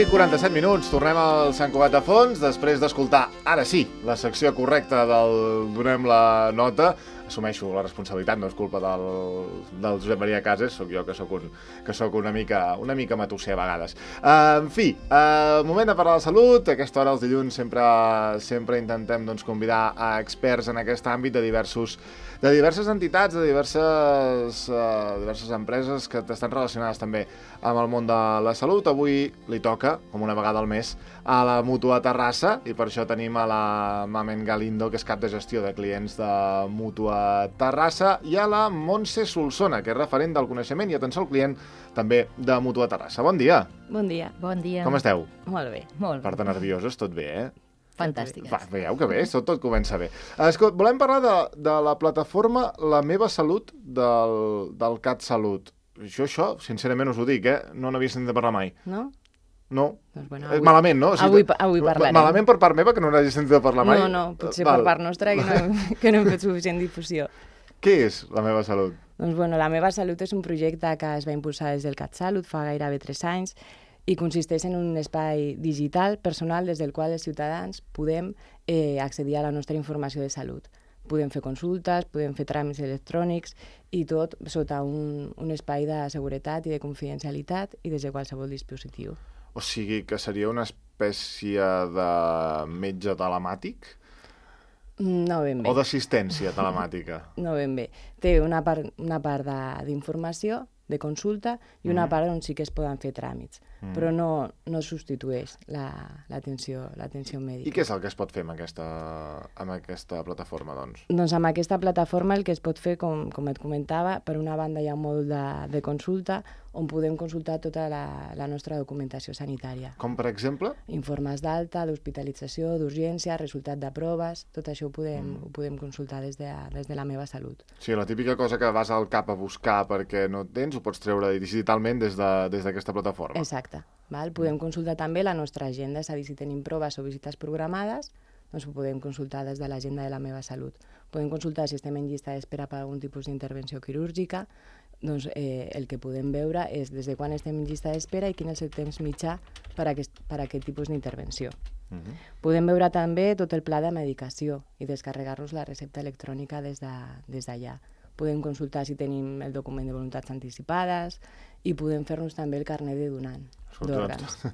11:47, tornem al Sant Cugat de Fons, després d'escoltar, ara sí, la secció correcta del Donem la nota. Assumeixo la responsabilitat, no és culpa del Josep Maria Cases, sóc jo que sóc una mica matusser a vegades. En fi, moment de parlar de salut. A aquesta hora, els dilluns, sempre intentem convidar a experts en aquest àmbit de diverses entitats, de diverses empreses que estan relacionades també amb el món de la salut. Avui li toca, com una vegada al mes, a la Mútua Terrassa, i per això tenim a la Mamen Galindo, que és cap de gestió de clients de Mútua Terrassa, i a la Montse Solsona, que és referent del coneixement i atenció al client també de Mútua Terrassa. Bon dia. Bon dia. Bon dia. Com esteu? Molt bé, molt bé. Per tant, nervioses, tot bé, eh? Fantàstiques. Veieu que bé, tot comença bé. Escolta, volem parlar de la plataforma La Meva Salut del CatSalut. Jo, sincerament us ho dic, no n'havia sentit parlar mai. No? No. Doncs bueno, malament, no? Avui parlarem. Malament per part meva, que no n'hagi sentit parlar mai? No, potser per part nostra, que no hem fet suficient difusió. Què és La Meva Salut? Doncs bueno, La Meva Salut és un projecte que es va impulsar des del CatSalut fa gairebé 3 anys i consisteix en un espai digital personal des del qual els ciutadans podem accedir a la nostra informació de salut. Podem fer consultes, podem fer tràmits electrònics i tot sota un espai de seguretat i de confidencialitat i des de qualsevol dispositiu. O sigui que seria una espècie de metge telemàtic? No ben bé. O d'assistència telemàtica? No ben bé. Té una part d'informació, de consulta, i una part on sí que es poden fer tràmits, però no substitueix l'atenció mèdica. I què és el que es pot fer amb aquesta plataforma, doncs? Doncs amb aquesta plataforma el que es pot fer, com et comentava, per una banda hi ha un mòdul de consulta on podem consultar tota la nostra documentació sanitària. Com, per exemple? Informes d'alta, d'hospitalització, d'urgència, resultat de proves, tot això ho podem consultar des de La Meva Salut. Sí, la típica cosa que vas al CAP a buscar perquè no tens, ho pots treure digitalment des d'aquesta plataforma. Exacte. Podem consultar també la nostra agenda, és a dir, si tenim proves o visites programades, doncs ho podem consultar des de l'agenda de La Meva Salut. Podem consultar si estem en llista d'espera per algun tipus d'intervenció quirúrgica, doncs el que podem veure és des de quan estem en llista d'espera i quin és el temps mitjà per a aquest tipus d'intervenció. Podem veure també tot el pla de medicació i descarregar-nos la recepta electrònica des d'allà. Podem consultar si tenim el document de voluntats anticipades i podem fer-nos també el carnet de donant d'òrgans.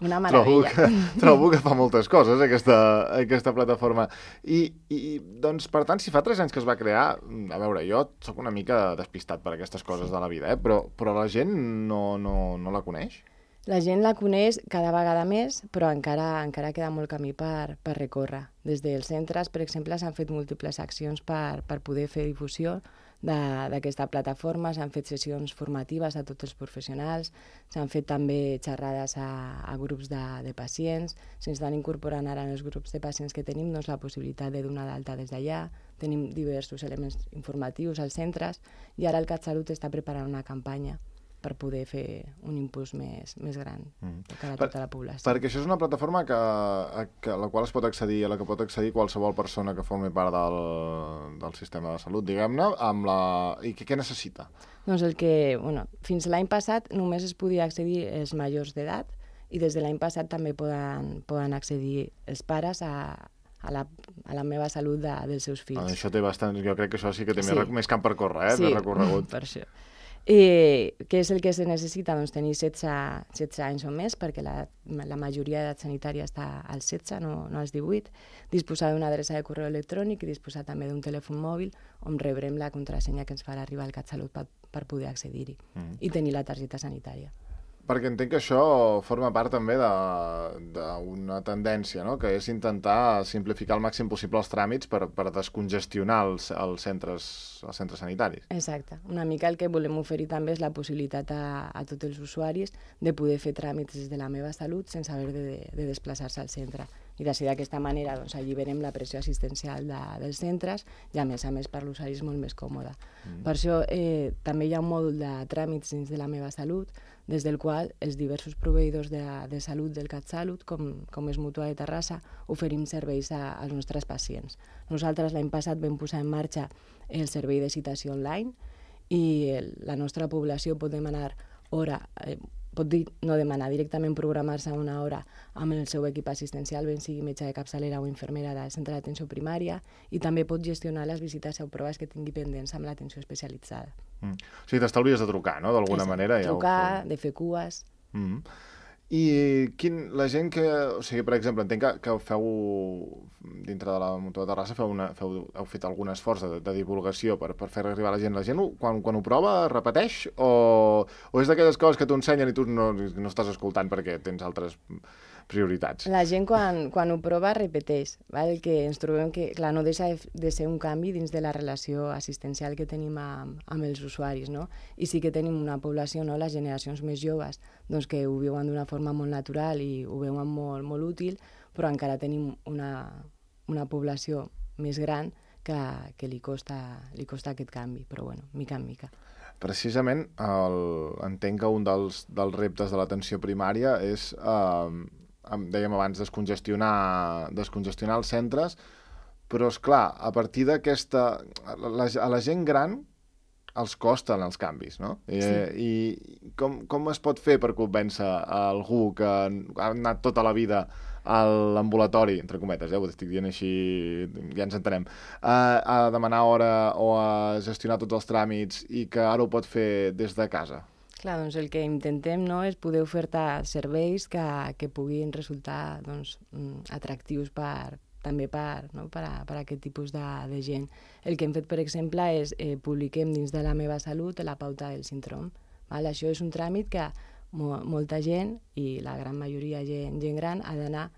Una meravella. Trobo que fa moltes coses aquesta plataforma. I doncs, per tant, si fa 3 anys que es va crear, a veure, jo sóc una mica despistat per aquestes coses de la vida, però la gent no la coneix? La gent la coneix cada vegada més, però encara queda molt camí per recórrer. Des dels centres, per exemple, s'han fet múltiples accions per poder fer difusió d'aquesta plataforma, s'han fet sessions formatives a tots els professionals, s'han fet també xerrades a grups de pacients, s'estan incorporant ara en els grups de pacients que tenim la possibilitat de donar d'alta des d'allà, tenim diversos elements informatius als centres i ara el CatSalut està preparant una campanya per poder fer un impuls més gran per a tota la població. Perquè això és una plataforma a la qual es pot accedir, a la que pot accedir qualsevol persona que formi part del sistema de salut, diguem-ne, i què necessita? Doncs fins l'any passat només es podia accedir els majors d'edat i des de l'any passat també poden accedir els pares a la Meva Salut dels seus fills. Això té bastant, jo crec que això sí que té més camp per córrer, més recorregut. Sí, per això. Què és el que se necessita? Doncs tenir 16 anys o més, perquè la majoria d'edat sanitària està als 16, no als 18, disposar d'una adreça de correu electrònic i disposar també d'un telèfon mòbil on rebrem la contrasenya que ens farà arribar al CatSalut per poder accedir-hi i tenir la targeta sanitària. Perquè entenc que això forma part també d'una tendència, no? Que és intentar simplificar al màxim possible els tràmits per descongestionar els centres sanitaris. Exacte. Una mica el que volem oferir també és la possibilitat a tots els usuaris de poder fer tràmits des de La Meva Salut sense haver de desplaçar-se al centre. I d'aquesta manera alliberem la pressió assistencial dels centres i a més per l'usuari és molt més còmode. Per això també hi ha un mòdul de tràmits dins de La Meva Salut des del qual els diversos proveïdors de salut del CatSalut, com és Mútua de Terrassa, oferim serveis als nostres pacients. Nosaltres l'any passat vam posar en marxa el servei de citació online i la nostra població pot demanar hora pot no demanar directament programar-se una hora amb el seu equip assistencial, ben sigui metge de capçalera o infermera del centre d'atenció primària, i també pot gestionar les visites o proves que tingui pendents amb l'atenció especialitzada. O sigui, t'estalvies de trucar, no?, d'alguna manera. Trucar, de fer cues... I la gent que... O sigui, per exemple, entenc que feu, dintre de la Mutua de Terrassa, heu fet algun esforç de divulgació per fer arribar a la gent. La gent, quan ho prova, repeteix? O és d'aquelles coses que t'ho ensenyen i tu no estàs escoltant perquè tens altres prioritats? La gent, quan ho prova, repeteix. El que ens trobem que, clar, no deixa de ser un canvi dins de la relació assistencial que tenim amb els usuaris, no? I sí que tenim una població, no?, les generacions més joves, doncs que ho viuen d'una forma molt natural i ho veuen molt, molt útil, però encara tenim una població més gran que li costa aquest canvi, però bueno, mica en mica. Precisament, entenc que un dels reptes de l'atenció primària és, dèiem abans, descongestionar els centres, però, esclar, a partir d'aquesta... A la gent gran els costen els canvis, no? Sí. I com es pot fer per convèncer algú que ha anat tota la vida a l'ambulatori, entre cometes, ho estic dient així, ja ens entenem, a demanar hora o a gestionar tots els tràmits i que ara ho pot fer des de casa? Clar, doncs el que intentem, no, és poder ofertar serveis que puguin resultar, doncs, atractius també per a aquest tipus de gent. El que hem fet, per exemple, és publiquem dins de La meva salut la pauta del síndrome. Això és un tràmit que molta gent, i la gran majoria gent gran, ha d'anar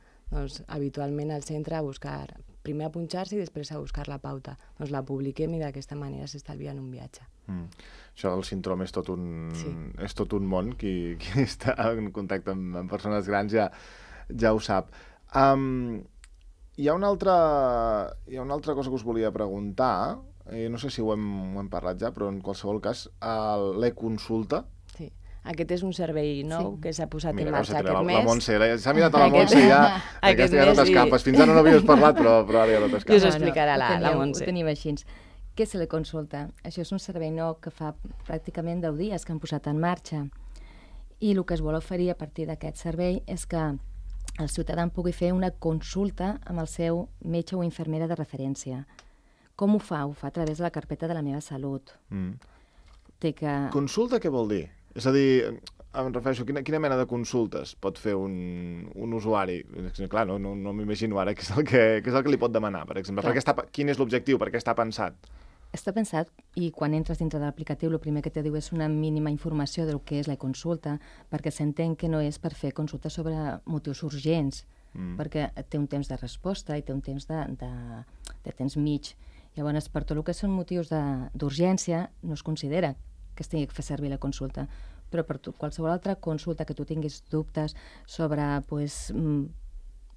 habitualment al centre a buscar, primer a punxar-se i després a buscar la pauta. Doncs la publiquem i d'aquesta manera s'estalvien un viatge. Això del síndrome és tot un món. Qui està en contacte amb persones grans ja ho sap. Hi ha una altra cosa que us volia preguntar, no sé si ho hem parlat ja, però en qualsevol cas, l'e-consulta. Sí, aquest és un servei nou que s'ha posat en marxa aquest mes. La Montse, s'ha mirat a la Montse i ja no t'escapes. Fins ara no havies parlat, però ara ja no t'escapes. I us ho explicarà la Montse. Ho tenim així. Què és l'e-consulta? Això és un servei nou que fa pràcticament 10 dies que han posat en marxa. I el que es vol oferir a partir d'aquest servei és que el ciutadà pugui fer una consulta amb el seu metge o infermera de referència. Com ho fa? Ho fa a través de la carpeta de La meva salut. Consulta què vol dir? És a dir, em refereixo, quina mena de consultes pot fer un usuari? Clar, no m'imagino ara què és el que li pot demanar, per exemple. Quin és l'objectiu? Per què està pensat? Està pensat, i quan entres dintre de l'aplicatiu el primer que te diu és una mínima informació del que és la consulta, perquè s'entén que no és per fer consultes sobre motius urgents, perquè té un temps de resposta i té un temps de temps mig. Llavors, per tot el que són motius d'urgència, no es considera que es tingui que fer servir la consulta, però per qualsevol altra consulta que tu tinguis dubtes sobre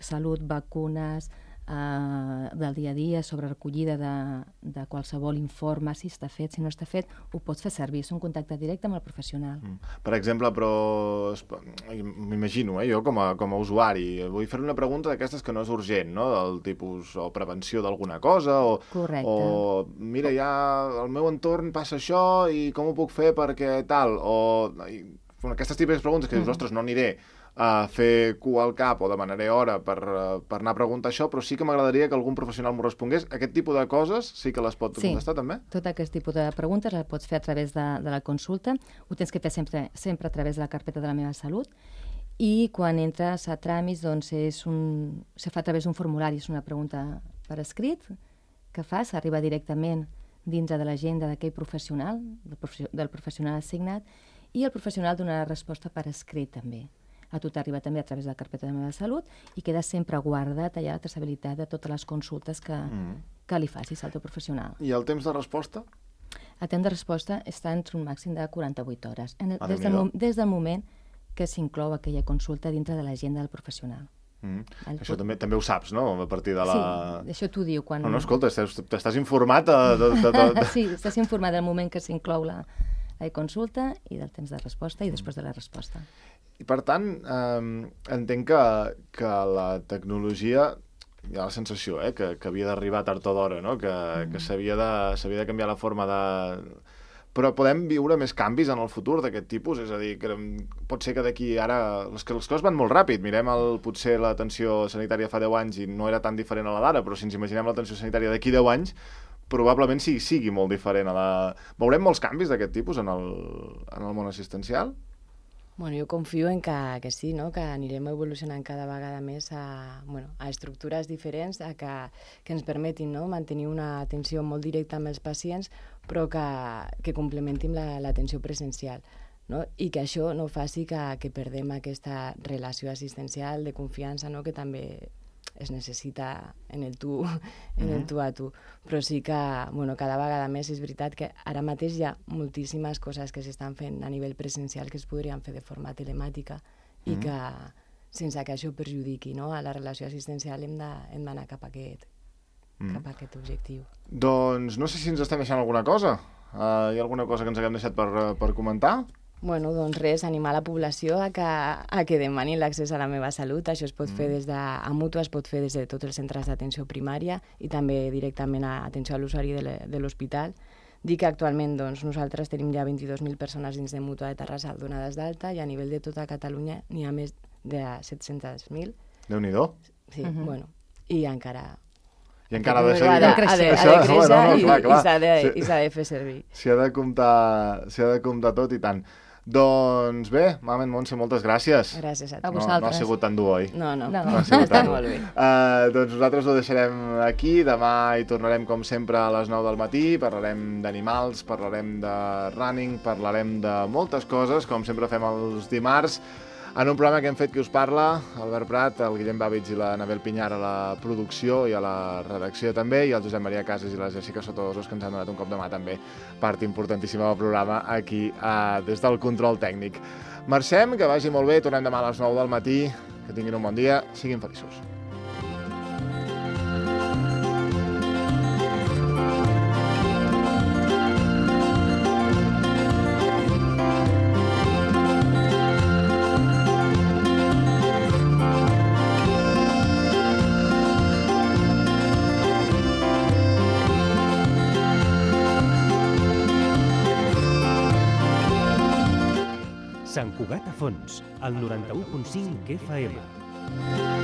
salut, vacunes, del dia a dia, sobre recollida de qualsevol informe, si està fet, si no està fet, ho pots fer servir, és un contacte directe amb el professional. Per exemple, però m'imagino, jo com a usuari, vull fer una pregunta d'aquestes que no és urgent, no? Del tipus o prevenció d'alguna cosa, o mira, ja al meu entorn passa això i com ho puc fer perquè tal, o aquestes típiques preguntes que dius, ostres, no aniré a fer cua al cap o demanaré hora per anar a preguntar això, però sí que m'agradaria que algun professional m'ho respongués. Aquest tipus de coses sí que les pot contestar també? Sí, tot aquest tipus de preguntes les pots fer a través de la consulta. Ho tens que fer sempre a través de la carpeta de La meva salut, i quan entres a tràmits doncs se fa a través d'un formulari, és una pregunta per escrit que fas, arriba directament dintre de l'agenda d'aquell professional, del professional assignat, i el professional donarà resposta per escrit també. A tu t'arriba també a través de la carpeta de La meva salut i queda sempre guardat allà la traçabilitat de totes les consultes que li facis al teu professional. I el temps de resposta? El temps de resposta està entre un màxim de 48 hores, des del moment que s'inclou aquella consulta dintre de l'agenda del professional. Això també ho saps, no? A partir de la... Sí, això t'ho diu quan... No, escolta, t'estàs informat Sí, estàs informat del moment que s'inclou la consulta i del temps de resposta i després de la resposta. I per tant, entenc que la tecnologia, hi ha la sensació que havia d'arribar tard o d'hora, no? Que s'havia de canviar la forma però podem viure més canvis en el futur d'aquest tipus? És a dir, que pot ser que d'aquí ara... Les coses van molt ràpid. Mirem potser l'atenció sanitària fa 10 anys i no era tan diferent a la d'ara, però si ens imaginem l'atenció sanitària d'aquí 10 anys, probablement sigui molt diferent. Veurem molts canvis d'aquest tipus en el món assistencial? Bueno, jo confio en que sí, no? Que anirem evolucionant cada vegada més a estructures diferents, que ens permetin, no? Mantenir una atenció molt directa amb els pacients, però que complementin l'atenció presencial, no? I que això no faci que perdem aquesta relació assistencial de confiança, no? Que també es necessita en el tu a tu, però sí que cada vegada més és veritat que ara mateix hi ha moltíssimes coses que s'estan fent a nivell presencial que es podrien fer de forma telemàtica i que sense que això perjudiqui, no? A la relació assistencial hem d'anar cap a aquest objectiu. Doncs no sé si ens estem deixant alguna cosa. Hi ha alguna cosa que ens haguem deixat per comentar? Bueno, doncs res, animar la població a que demanin l'accés a la meva salut. Això es pot fer a Mútua, es pot fer des de tots els centres d'atenció primària i també directament a atenció a l'usuari de l'hospital. Dir que actualment nosaltres tenim ja 22.000 persones dins de Mútua de Terrassa donades d'alta i a nivell de tota Catalunya n'hi ha més de 700.000. Déu-n'hi-do. Sí, bueno, i encara... I encara ha de seguir... Ha de créixer i s'ha de fer servir. S'hi ha de comptar tot i tant. Doncs bé, Mamen Montse, moltes gràcies. Gràcies a tu. A vosaltres. No ha sigut tan dur, oi? No ha sigut tan dur. Molt bé. Doncs nosaltres ho deixarem aquí. Demà hi tornarem, com sempre, a les 9 del matí. Parlarem d'animals, parlarem de running, parlarem de moltes coses, com sempre fem els dimarts, en un programa que hem fet qui us parla, Albert Prat, el Guillem Bàvits i la Anabel Pinyar a la producció i a la redacció també, i el Josep Maria Casas i la Jessica Sotodosos, que ens han donat un cop de mà també, part importantíssima del programa aquí des del control tècnic. Marxem, que vagi molt bé, tornem demà a les 9 del matí, que tinguin un bon dia, siguin feliços. Sant Cugat a Fons, al 91.5 FM.